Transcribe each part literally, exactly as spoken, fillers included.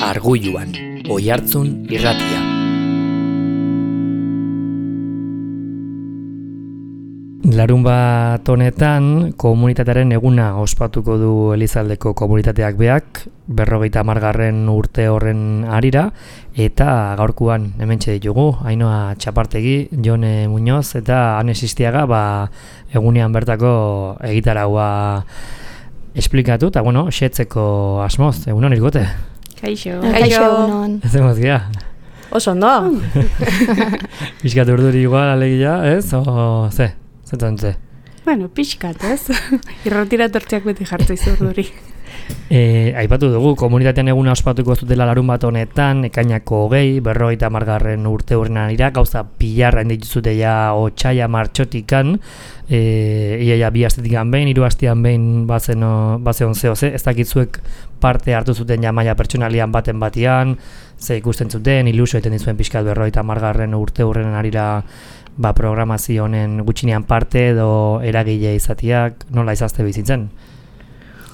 Arguluan, Oihartzun irratia. Larunbat honetan komunitatearen eguna ospatuko du Elizaldeko komunitateak beak, berrogeita hamargarren urte horren harira, eta gaurkoan hementxe ditugu, Ainhoa Txapartegi, Jone Muñoz eta Ane Sistiaga, ba, egunean bertako egitaraua esplikatu, eta bueno, xetzeko asmoz, egunon irgote? Kaixo. Kaixo egunon. Ez emoz gira? Oso ondo. Piskat urduri igual alegia, ez? O, ze? Zetan ze? Bueno, pixkat, ez? Irratira tortziak beti jartu izu urduri. E, aipatu dugu, komunitatean eguna ospatuko ez dutela larun bat honetan, ekainako hogei, berrogeita hamargarren urte horren arira, gauza pilarra indituzute ja otsaia martxotikan, e, iaia bi astetikan behin, hiru astean behin bazen bazen zeo ze, ez dakitzuek parte hartu zuten ja maila pertsonalian baten batian, ze ikusten zuten, ilusio eten dizuen pixkat berrogeita hamargarren urte horren arira, ba, programazio honen gutxinean parte edo eragile izatiak, nola izazte bizitzen?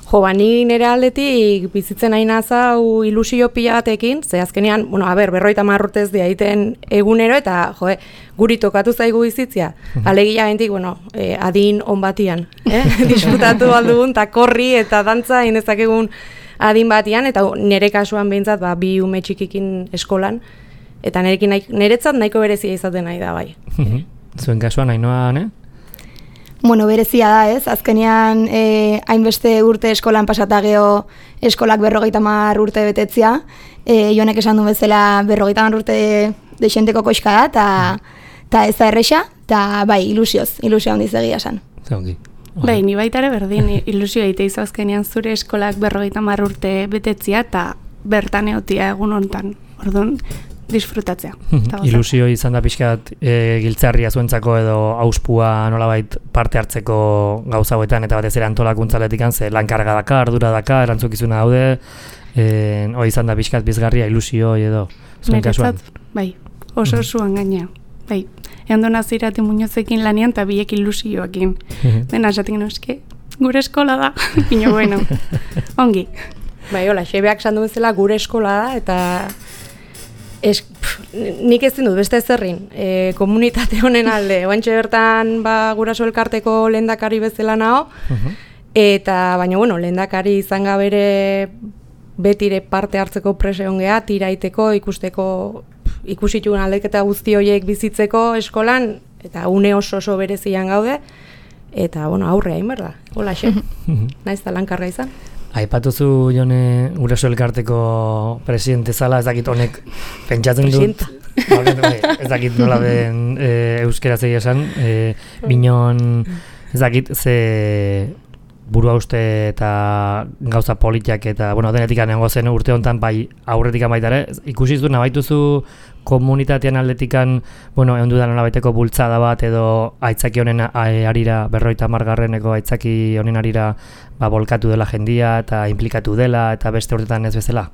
Jo, ba, ni nire aldetik bizitzen nahi nazau ilusio pila batekin, ze azkenean, bueno, a ber, berroita marrurtez diaiten egunero, eta, jo, guri tokatu zaigu bizitzia. Alegia gentik, bueno, eh, adin on batian, eh? Disfrutatu aldugun, eta korri eta dantza inezakegun adin batian, eta nire kasuan behintzat, ba, bi ume txikikin eskolan, eta nirekin nahi, niretzat nahiko berezia izaten nahi da, bai. Zuen kasuan, Ainhoa, ne? Bueno, berezia da, ez? Azkenean, eh, hainbeste urte eskolan pasata geho eskolak berrogeita hamar urte betetzia. Eh, Jonek esan du bezala berrogeita hamar urte dexenteko koxka da, eta ez da erresa, eta bai, ilusioz, ilusio handiz egia esan. Zongi. Bai, ni baita ere berdin, ilusio egite izu azkenean zure eskolak berrogeita hamar urte betetzia, eta bertan egotia egun hontan. Orduan, disfrutatzea. Ilusio izan da pixkat e, giltzarria zuentzako edo auspua nolabait parte hartzeko gauza hauetan eta batez ere antolakuntzaletik ze lankarga daka, ardura daka, erantzukizuna daude, e, hori izan da pixkat bizgarria ilusio edo zuen kasuan. Bai, oso zuan gaina. Bai, egon nazirate Muñozekin lanian eta biek ilusioakin. Dena esatik noske, gure eskola da. Ino, bueno, ongi. Bai, hola, xebeak sandu bezala gure eskola da eta Es, pff, nik ez dut beste ezerrin, e, komunitate honen alde, oantxe bertan ba, guraso elkarteko lehendakari bezala nao, uh-huh. Eta baina bueno, lehendakari izan gabere betire parte hartzeko prese ongea, tiraiteko, ikusteko, ikusituen aldeketa guzti horiek bizitzeko eskolan, eta une oso oso berezian gaude, eta bueno, aurre hain berda, hola xe, naiz da lankarga izan. Aipatuzu Jone guraso elkarteko presidente zala, ez dakit honek pentsatzen dut. Ez dakit nola den e, euskera zegia esan, e, binon ez dakit ze burua uste eta gauza politiak eta bueno, denetik anengo zen urte honetan bai aurretik baita ere, ikusi zuen abaituzu komunitatean aldetikan, bueno, egon dudan nolabaiteko bultzada bat edo aitzaki honen arira, berroita hamargarreneko aitzaki honen arira ba, bolkatu dela jendia eta implikatu dela eta beste urtetan ez bezala?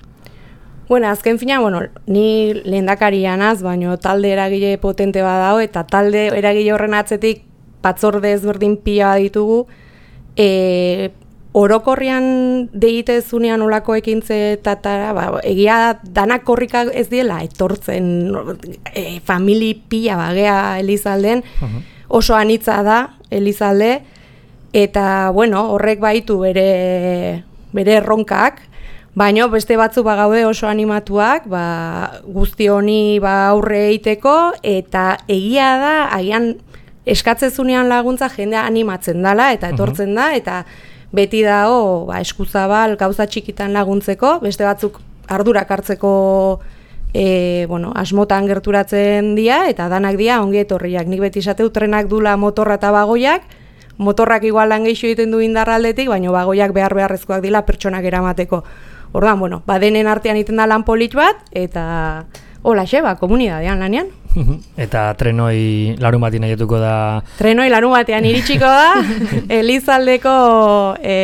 Bueno, azken fina, bueno, ni lehendakaria naz, baino talde eragile potente badao eta talde eragile horren atzetik batzorde ezberdin pila ditugu, e, orokorrian deitezunean olako ekintze tatara, ba, egia danak korrika ez diela etortzen e, famili pila bagea Elizalden, uh-huh. Oso anitza da Elizalde, eta bueno, horrek baitu bere, bere erronkak, baina beste batzu bagaude oso animatuak, ba, guzti honi ba, aurre egiteko, eta egia da, agian eskatzezunean laguntza jendea animatzen dala, eta etortzen da, eta beti dago ba, eskuzabal gauza txikitan laguntzeko, beste batzuk ardurak hartzeko e, bueno, asmotan gerturatzen dira, eta danak dira ongi etorriak. Nik beti esateu trenak dula motorra eta bagoiak, motorrak igual lan gehixo egiten du indarraldetik, baina bagoiak behar beharrezkoak dira pertsonak eramateko. Orduan, bueno, badenen artean iten da lan polit bat, eta hola xeba, komunidadean lanean. Eta trenoi larun batean aietuko da... Trenoi larun batean iritsiko da, Elizaldeko e,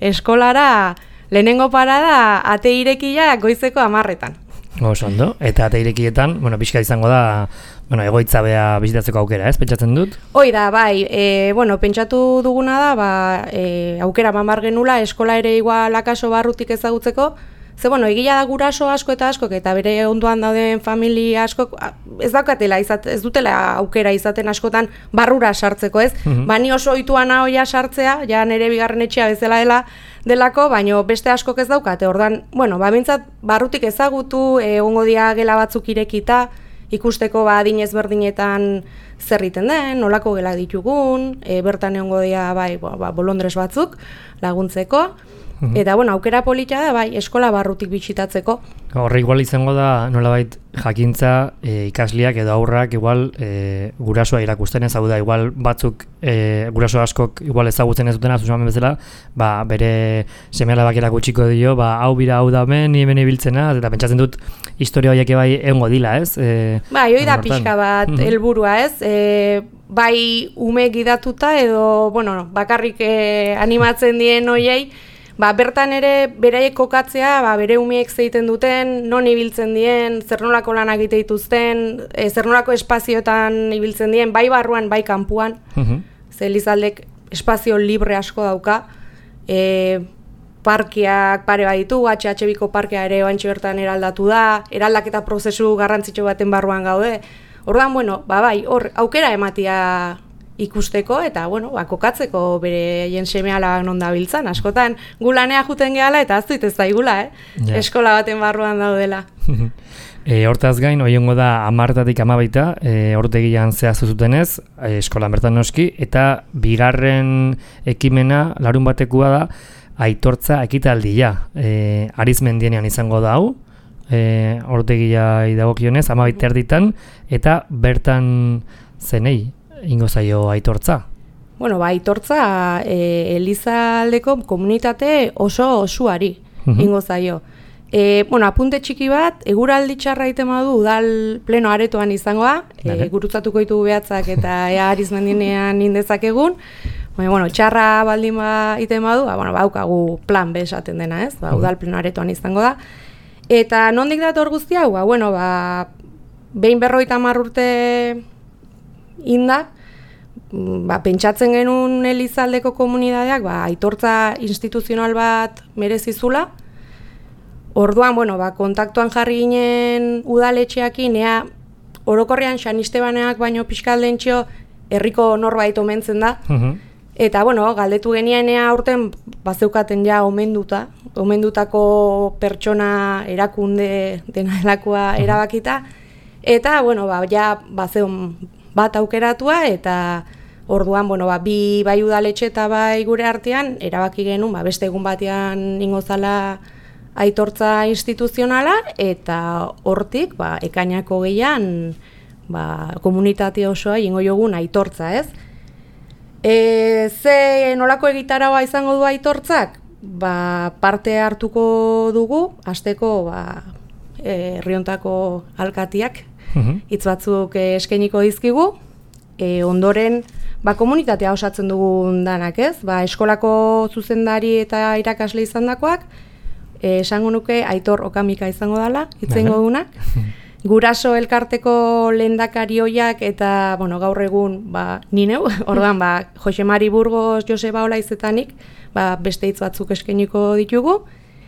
eskolara lehenengo parada ate irekia goizeko hamarretan. Oso ondo, eta ate irekietan, bueno, pixka izango da, bueno, egoitza bea bizitatzeko aukera, ez, pentsatzen dut? Hoi da, bai, e, bueno, pentsatu duguna da, ba, e, aukera mamar genula, eskola ere igual akaso barrutik ezagutzeko, Ze, bueno, egia da guraso asko eta askok, eta bere ondoan dauden familia askok, ez daukatela, izat, ez dutela aukera izaten askotan barrura sartzeko, ez? Mm-hmm. Ba, ni oso ohitua nahoia sartzea, ja nire bigarren etxea bezala dela, delako, baino beste askok ez daukate. Ordan, bueno, ba, bintzat, barrutik ezagutu, egongo dia gela batzuk irekita, ikusteko ba adin ezberdinetan zer egiten den, nolako gela ditugun, e, bertan egongo dira bai, ba, bolondres batzuk laguntzeko. Uhum. Eta bueno, aukera polita da bai, eskola barrutik bisitatzeko. Horre igual izango da nolabait jakintza e, ikasliak edo aurrak igual e, gurasoa irakusten ez, hau da igual batzuk e, guraso askok igual ezagutzen ez dutena zuzen bezala, ba bere seme-alabak erakutsiko dio, ba hau bira hau da hemen, ni hemen ibiltzena, eta pentsatzen dut historia horiek bai egongo dila, ez? E, bai, hori da pixka bat helburua, ez? E, bai ume gidatuta edo, bueno, bakarrik e, animatzen dien hoiei, ba, bertan ere beraiek kokatzea, ba, bere umeek zeiten duten, non ibiltzen dien, zer nolako lanak egite dituzten, e, zer nolako espazioetan ibiltzen dien, bai barruan, bai kanpuan. Uh-huh. Ze Elizaldek espazio libre asko dauka. E, parkeak pare bat ditu, H H Biko parkea ere oantxe bertan eraldatu da, eraldaketa prozesu garrantzitsu baten barruan gaude. Ordan, bueno, ba, bai, hor, aukera ematia ikusteko eta bueno, ba, kokatzeko bere jen seme-alabak non dabiltzan. Askotan gulanea juten gehala eta aztuit ez daigula, eh? Yeah. Eskola baten barruan daudela. e, hortaz gain, oiongo da hamartatik hamabaita, e, ortegian zehaztu zutenez, e, eskolan bertan noski, eta bigarren ekimena larun batekua da aitortza ekitaldia. E, Arizmendienean izango da hau, e, ortegia idagokionez, hamabaita erditan, eta bertan zenei ingo zaio aitortza? Bueno, ba, aitortza e, Elizaldeko komunitate oso osuari uh-huh. ingo zaio. E, bueno, apunte txiki bat, eguraldi txarra egiten badu udal pleno aretoan izangoa, e, gurutzatuko ditugu behatzak eta ea Arizmendinean indezakegun. Baina, bueno, txarra baldin ba egiten badu, ba, bueno, baukagu plan B esaten dena, ez? Ba, udal pleno aretoan izango da. Eta nondik dator guzti hau? Ba, bueno, ba, behin berrogeita hamar urte inda, ba, pentsatzen genuen Elizaldeko komunidadeak ba, aitortza instituzional bat merezizula. Orduan, bueno, ba, kontaktuan jarri ginen udaletxeakin, ea orokorrean San Estebaneak baino pixkaldentxo herriko norbait omentzen da. Uh-huh. Eta, bueno, galdetu genian ea aurten bazeukaten ja omenduta, omendutako pertsona erakunde dena delakoa uh-huh. erabakita. Eta, bueno, ba, ja bazeun bat aukeratua eta orduan, bueno, ba, bi bai udaletxe eta bai gure artean erabaki genuen, ba, beste egun batean ingo zala aitortza instituzionala eta hortik, ba, ekainako gehian, ba, komunitate osoa ingo jogun aitortza, ez? E, ze nolako egitaragoa izango du aitortzak? Ba, parte hartuko dugu, hasteko, ba, herriontako alkatiak, hitz batzuk eskainiko dizkigu, e, ondoren ba, komunitatea osatzen dugun danak, ez? Ba, eskolako zuzendari eta irakasle izandakoak, e, esango nuke Aitor Okamika izango dela, hitzengo dunak. Guraso elkarteko lehendakari hoiak eta bueno, gaur egun ba, ni neu, orduan ba, Jose Mari Burgos, Joseba Olaizetanik, ba, beste hitz batzuk eskainiko ditugu.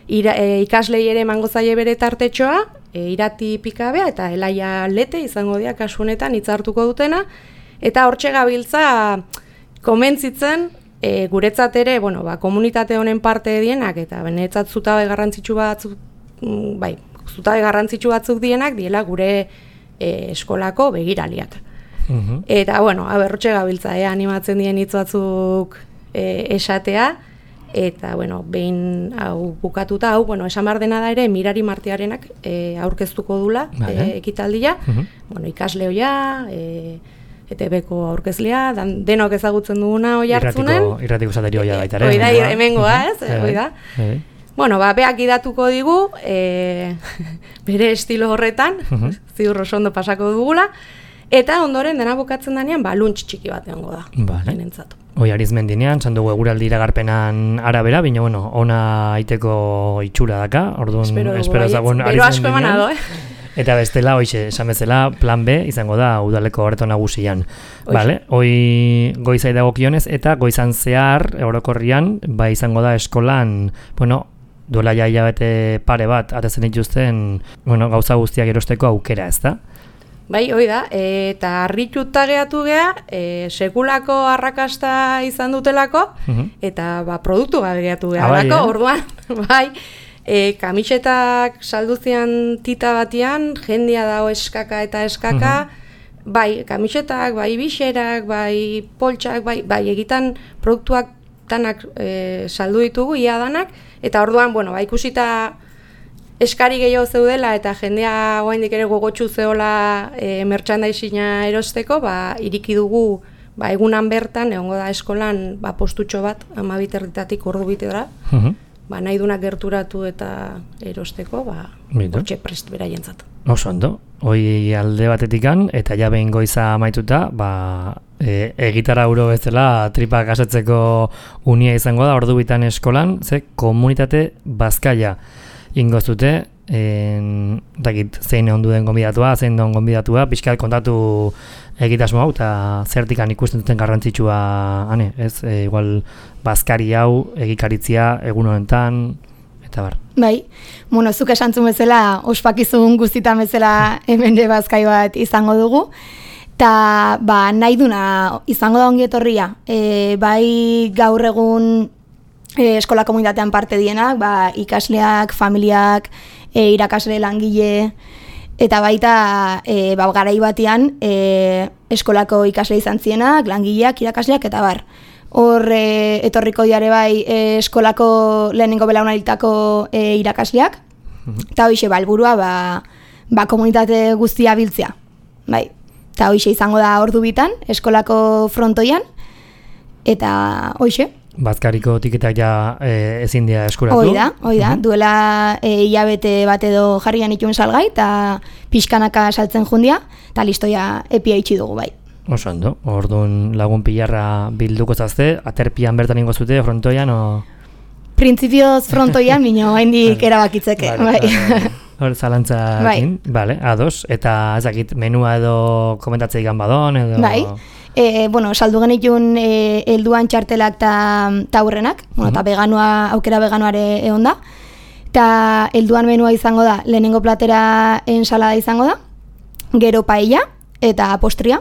Ira, e, ikaslei ere emango zaie bere tartetxoa, e, Irati Pikabea eta Elaia Lete izango dira kasu honetan hitz hartuko dutena, eta hortxe gabiltza komentzitzen e, guretzat ere, bueno, ba, komunitate honen parte dienak eta benetzat zutabe garrantzitsu batzuk, bai, zutabe garrantzitsu batzuk dienak diela gure e, eskolako begiraliak. Uh-huh. Eta bueno, hortxe gabiltza e, animatzen dien hitz batzuk e, esatea. Eta, bueno, behin hau bukatuta, hau, bueno, esan behar dena da ere, Mirari Martiarenak e, aurkeztuko dula vale. e, ekitaldia. Uh-huh. Bueno, ikasle hoia, e, E T B-ko aurkezlea, dan, denok ezagutzen duguna hoi hartzunen. Irratiko, irratiko zateri hoia baita, ere? Hoi da, hemengoa, ez? Hoi da. Bueno, ba, beak idatuko digu, e, bere estilo horretan, uh-huh. ziur oso ondo pasako dugula, eta ondoren dena bukatzen danean, ba, luntz txiki bat egongo da. Vale. Hoi Arizmendinean, zan dugu eguraldi iragarpenan arabera, baina, bueno, ona aiteko itxura daka, orduan, espero ezagun Arizmendinean. Bero asko emanado, eh? Eta bestela, hoixe, esan bezala, plan B izango da udaleko horreto nagusian. Vale? Hoi goizai dagokionez eta goizan zehar, orokorrian, ba izango da eskolan, bueno, duela jaia bete pare bat, atezen dituzten, bueno, gauza guztiak erosteko aukera, ez da? Bai, hoi da, e, eta harrituta gehatu geha, e, sekulako arrakasta izan dutelako, uh-huh. eta ba, produktu bat gehatu geha, bai, eh? Orduan, bai, e, kamisetak salduzian tita batian, jendia dago eskaka eta eskaka, uh-huh. bai, kamisetak, bai, bixerak, bai, poltsak, bai, bai, egitan produktuak danak e, saldu ditugu, ia danak, eta orduan, bueno, ba, ikusita eskari gehiago zeudela eta jendea oraindik ere gogotsu zeola e, merchandising-a erosteko, ba iriki dugu ba egunan bertan egongo da eskolan ba postutxo bat hamabi erditatik ordu bitera. Uh-huh. Ba nahi dunak gerturatu eta erosteko, ba hortxe prest beraientzat. Oso ondo. Hoi alde batetikan eta ja behin goiza amaituta, ba e, egitara euro bezala tripak asetzeko unia izango da ordu bitan eskolan, ze komunitate bazkaia ingo zute, en, dakit, zein ondu den gonbidatua, zein den gonbidatua, pixkat kontatu egitasmo hau, eta zertikan ikusten duten garrantzitsua, hane, ez, e, igual, bazkari hau, egikaritzia, egun honetan, eta bar. Bai, bueno, zuk esantzun bezala, ospakizun guztitan bezala hemen de bazkai bat izango dugu, eta ba, nahi duna izango da ongi etorria, e, bai gaur egun E, eskola komunitatean parte dienak, ba, ikasleak, familiak, e, irakasle langile, eta baita e, ba, garai batean e, eskolako ikasle izan zienak, langileak, irakasleak, eta bar. Hor e, etorriko diare bai e, eskolako lehenengo belaunalditako e, irakasleak, eta hoxe ba, helburua ba, ba, komunitate guztia biltzea. Bai. Eta hoxe izango da ordu bitan, eskolako frontoian, eta hoxe. Bazkariko tiketak ja e, ezin dira eskuratu. Hoi da, hoi da. Uh-huh. Duela e, hilabete bat edo jarrian itun salgai, eta pixkanaka saltzen jundia, eta listoia epia itxi dugu bai. Oso ondo, orduan lagun pilarra bilduko zazte, aterpian bertan ingo zute, frontoian, o... Printzipioz frontoian, minio, haindik erabakitzeke, bai. Hor, zalantzakin, bai. Bale, ados, eta ezakit, menua edo komentatzei ganbadon, edo... Bai. E, bueno, saldu genitun e, helduan txartelak eta aurrenak, bueno, eta veganoa, aukera veganoare egon da. Eta helduan menua izango da, lehenengo platera ensalada izango da, gero paella eta postria,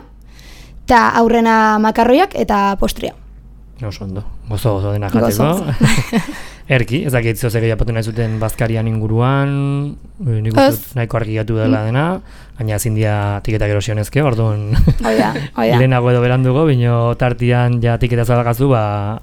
eta aurrena makarroiak eta postria. Oso ondo, gozo gozo dena jateko. Erki, ez dakit zehose gehiapatu nahi zuten bazkarian inguruan, nik uste nahiko argi gatu dela dena, baina ezin dira tiketak erosionezke, orduan lehenago edo berandugo, bino tartian ja tiketa zalagazu ba,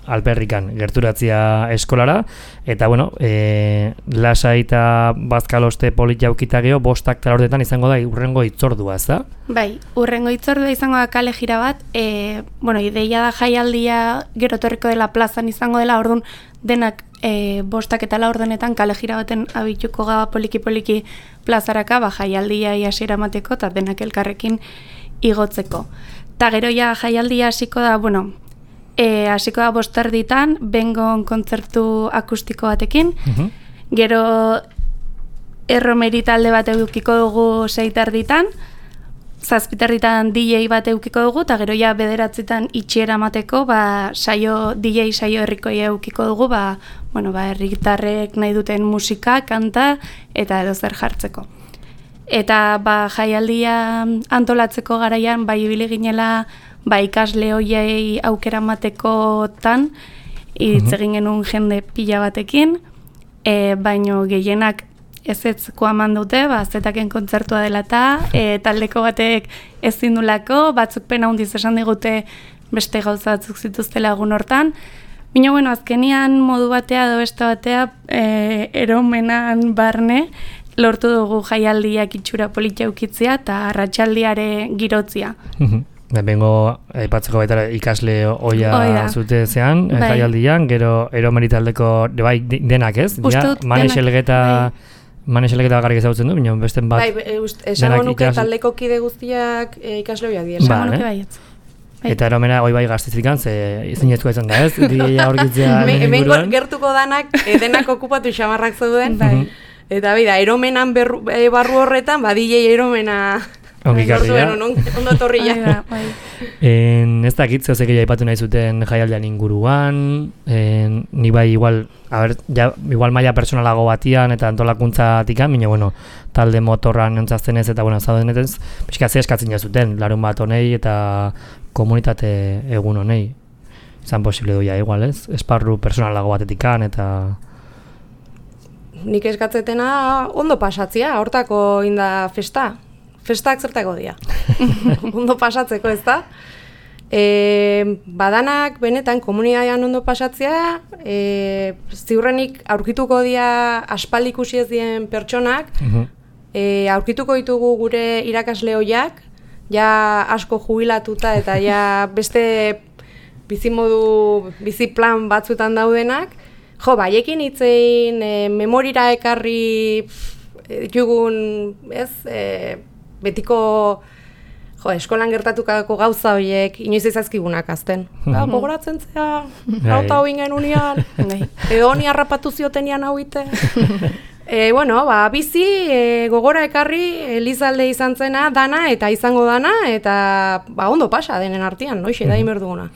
alperrikan gerturatzia eskolara, eta bueno, e, lasai eta bazkaloste polit jaukita geho, bostak talordetan izango da urrengo itzordua, ez da? Bai, urrengo itzordua izango da kale jira bat, e, bueno, ideia da jaialdia gero torriko dela plazan izango dela, orduan denak e, bostak eta laurdenetan kale jira baten abituko gaba poliki-poliki plazaraka, ba, jaialdia hasiera emateko eta denak elkarrekin igotzeko. Ta gero ja jaialdia hasiko da, bueno, e, hasiko da bosterditan, bengon kontzertu akustiko batekin, uh-huh. Gero erromeri talde bat edukiko dugu seitarditan, zazpiterritan D J bat eukiko dugu, eta gero ja bederatzitan itxiera mateko, ba, saio, D J saio herrikoi eukiko dugu, ba, bueno, ba, herritarrek nahi duten musika, kanta, eta edo zer jartzeko. Eta ba, jaialdia antolatzeko garaian, bai ibili ginela, ba, ikasle hoiei aukera matekotan, hitz egin genuen jende pila batekin, e, baino gehienak ez etzko aman dute, ba, zetaken kontzertua dela eta e, taldeko batek ezin dulako, batzuk pena hundiz esan digute beste gauza batzuk zituztela egun hortan. Bino, bueno, azkenian modu batea edo beste batea e, eromenan barne lortu dugu jaialdiak itxura politia ukitzea eta arratsaldiare girotzia. Bengo aipatzeko baita ikasle oia zute zean, bai. Jaialdian, gero eromeri taldeko bai, denak ez? Ja, Manexelgeta... Bai. Manexeleketa bakarrik ezagutzen du, bino besten bat... Bai, esango nuke ikas... taldeko kide guztiak e, ikasle hoiak dira. Esango nuke baietz. Bai. Eta eromena hoi bai gaztizikan, ze zinezkoa izan da ez, dira horkitzea hemen gertuko danak, denak okupatu xamarrak zeuden, bai. Eta bida, eromenan berru, e, barru horretan, ba, D J eromena Ongi karria. Ondo etorri ja. Ez dakit, zeuzek egia ipatu nahi zuten jaialdean inguruan, en, ni bai igual, a ber, ja, igual maila personalago batian eta antolakuntzatikan, baina bueno, talde motorran entzazten ez eta bueno, zauden ez, pixka ze eskatzen jazuten, larun bat honei eta komunitate egun honei. Izan posible duia igual ez, esparru personalago batetikan eta... Nik eskatzetena ondo pasatzia, hortako inda festa. Festak zertako dira. Ondo pasatzeko, ez da? E, badanak, benetan, komunitatean ondo pasatzea, e, ziurrenik aurkituko dira aspaldi ikusi ez dien pertsonak, uh-huh. e, aurkituko ditugu gure irakasle hoiak, ja asko jubilatuta eta ja beste bizimodu, biziplan batzuetan daudenak, jo, baiekin hitzein, e, memorira ekarri ditugun, ez, e, betiko jo, eskolan gertatukako gauza horiek inoiz ezazkigunak azten. Mm -hmm. Gogoratzen zea, gauta hoi genunian, edo honi harrapatu ziotenian hau ite. E, bueno, ba, bizi e, gogora ekarri Elizalde izan zena dana eta izango dana eta ba, ondo pasa denen artean, noixe, da imerduguna.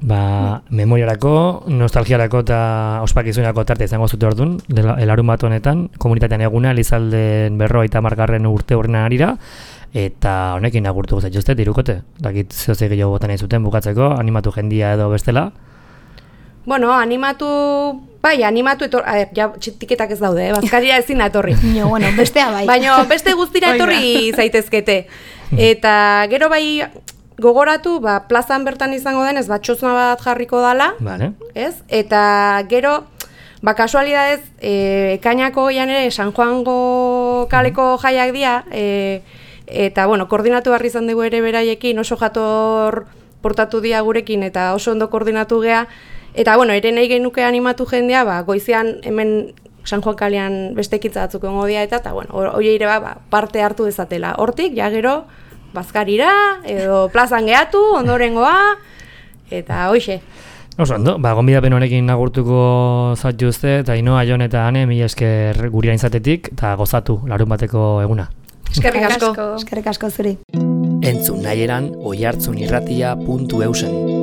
Ba, memoriarako, nostalgiarako eta ospakizunerako tarte izango zute orduan, elarun bat honetan, komunitatean eguna, Elizalden berrogeita hamargarren urte horrena arira, eta honekin agurtu zaituzte, irukote. Dakit zeozek gehiago botan nahi zuten bukatzeko, animatu jendia edo bestela. Bueno, animatu, bai, animatu etor, a, ja, tiketak ez daude, eh? Bazkaria ezin etorri. No, bueno, bestea bai. Baina beste guztira etorri zaitezkete. Eta gero bai, gogoratu, ba, plazan bertan izango denez, batxozna bat jarriko dala, vale. Ez? Eta gero, ba, kasualidadez, e, ekainako goian ere, San Juango kaleko jaiak dira, e, eta, bueno, koordinatu barri izan dugu ere beraiekin, oso jator portatu dira gurekin, eta oso ondo koordinatu gea, eta, bueno, ere nahi genuke animatu jendea, ba, goizean hemen San Juan kalean beste ekitza batzuk egongo dira, eta, eta, bueno, hori ere ba, parte hartu dezatela. Hortik, ja gero, bazkarira, edo plazan gehatu, ondorengoa, eta hoxe. Oso ondo, ba, gonbidapen honekin agurtuko zaituzte, eta Ainoa, Jon eta Ane, mila esker gurean izatetik, eta gozatu larun bateko eguna. Eskerrik asko. Eskerrik asko zuri. Entzun nahieran oihartzunirratia puntu eusen.